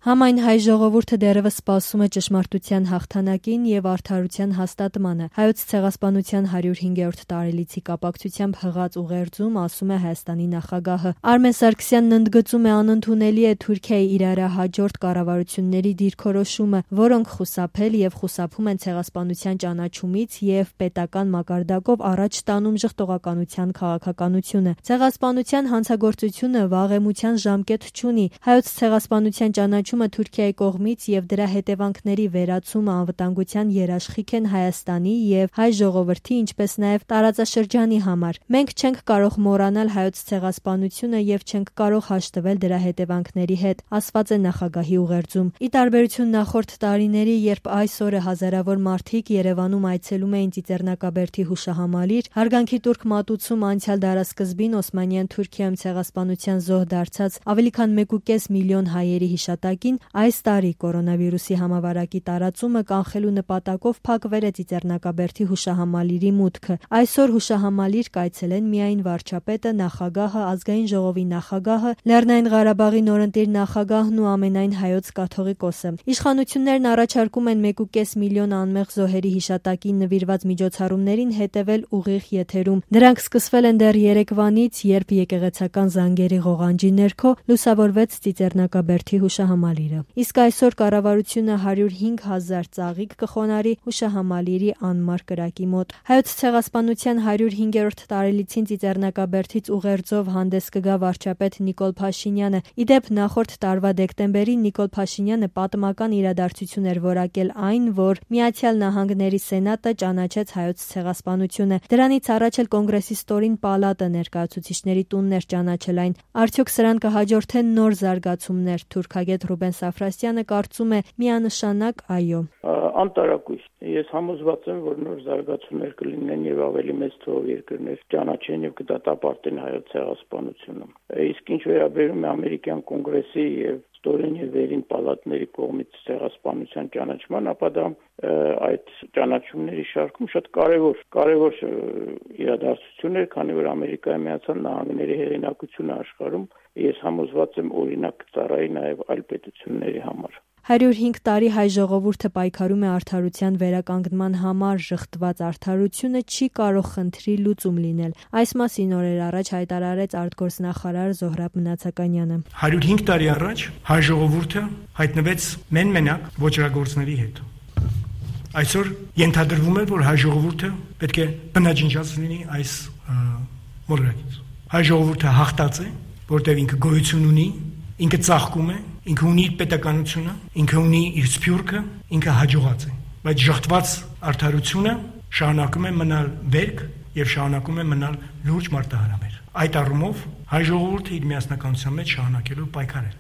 Համայն հայ ժողովուրդը դեռևս սպասում է ճշմարտության հաղթանակին եւ արդարության հաստատմանը։ Հայոց ցեղասպանության 105-րդ տարելիցի կապակցությամբ հղած ուղերձում ասում է Հայաստանի նախագահը։ Արմեն Սարգսյանն ընդգծում է անընդունելի է Թուրքիայի իրարահաջորդ կառավարությունների դիրքորոշումը, որոնք խուսափել եւ խուսափում են ցեղասպանության ճանաչումից եւ պետական մակարդակով առաջ տանում ժխտողականության քաղաքականությունը։ Ցեղասպանության հանցագործությունը վաղեմության ժամկետ չունի։ Հայոց ցեղասպանության ճանաչումը Թուրքիայի կողմից եւ դրա հետևանքների վերացումը անվտանգության երաշխիք են Հայաստանի եւ հայ ժողովրդի, ինչպես նաեւ տարածաշրջանի համար։ Մենք չենք կարող մոռանալ հայոց ցեղասպանությունը եւ չենք կարող հաշտվել դրա հետևանքների հետ, ասված է նախագահի ուղերձում։ Ի տարբերություն նախորդ տարիների, երբ այս օրը հազարավոր մարդիկ Երևանում այցելում էին Ծիծեռնակաբերդի հուշահամալիր, հարգանքի տուրք մատուցում անցյալ դարասկզբին Օսմանյան Թուրքիայում ցեղասպանության զոհ դարձած ավելի քան 1.5 միլիոն հայերի հիշատակին, այս տարի կորոնավիրուսի համավարակի տարածումը կանխելու նպատակով փակվել է Ծիծեռնակաբերդի հուշահամալիրի մուտքը։ Այսօր հուշահամալիր կայցելեն միայն վարչապետը, նախագահը, ազգային ժողովի նախագահը, Լեռնային Ղարաբաղի նորընտիր նախագահն ու ամենայն հայոց կաթողիկոսը։ Իշխանություններն առաջարկում են 1.5 միլիոն անմեղ զոհերի հիշատակին նվիրված միջոցառումներին հետևել ուղիղ եթերում։ Դրանք սկսվել են դեռ երեկվանից, երբ եկեղեցական զանգերի ղողանջի ներքո լուսավորվեց Ծիծեռնակաբերդի հուշահամալիրը։ Իսկ այսօր կառավարությունը 105,000 ծաղիկ կխոնարհի հուշահամալիրի անմար կրակի մոտ։ Հայոց ցեղասպանության 105-րդ տարելիցին Ծիծեռնակաբերդից ուղերձով հանդես կգա վարչապետ Նիկոլ Փաշինյանը։ Իդեպ նախորդ տարվա դեկտեմբերին Նիկոլ Փաշինյանը պատմական իրադարձություն էր որակել այն, որ Միացյալ Նահանգների Սենատը ճանաչեց հայոց ցեղասպանությունը։ Դրանից առաջ էլ Կոնգրեսի ստորին պալատը ներկայացուցիչների տունն էր ճանաչել այն։ Արդյոք սրան կհաջորդեն նոր զարգացումներ։ Թուրքագետ Ռուբեն Սաֆրասյանը կարծում է միանշանակ այո։ Անտարակույս։ Ես համոզված եմ, որ նոր զարգացումներ կլինեն եւ ավելի մեծ թվով երկրներ ճանաչեն եւ կդատապարտեն հայոց ցեղասպանությունը։ Իսկ ինչ վերաբերում է ամերիկյան կոնգրեսի եւ ստորին եւ վերին պալատների կողմից ցեղասպանության ճանաչման, ապա դա այդ ճանաչումների շարքում շատ կարևոր իրադարձություն էր, քանի որ Ամերիկայի Միացյալ Նահանգների հեղինակությունը աշխարհում ես համոզված եմ օրինակ ծառայի նաեւ այլ պետությունների համար։ 105 տարի հայ ժողովուրդը պայքարում է արդարության վերականգնման համար, ժխտված արդարությունը չի կարող խնդրի լուծում լինել։ Այս մասին օրեր առաջ հայտարարեց արտգործնախարար Զոհրաբ Մնացականյանը։ 105 տարի առաջ հայ ժողովուրդը հայտնվեց մենակ ոճրագործների հետ։ Այսօր ենթադրվում է, որ հայ ժողովուրդը պետք է բնաջնջած լինի այս մոլորակից։ Հայ ժողովուրդը հաղթած է, որտեղ ինքը գոյություն ունի, ինքը ծաղկում է, ինքը ունի իր պետականությունը, ինքը ունի իր սփյուռքը, ինքը հաջողած է։ Բայց ժխտված արդարությունը շարունակում է մնալ վերք եւ շարունակում է մնալ լուրջ մարտահրավեր։ Այդ առումով հայ ժողովուրդը իր միասնականության մեջ շարունակելու պայքարել։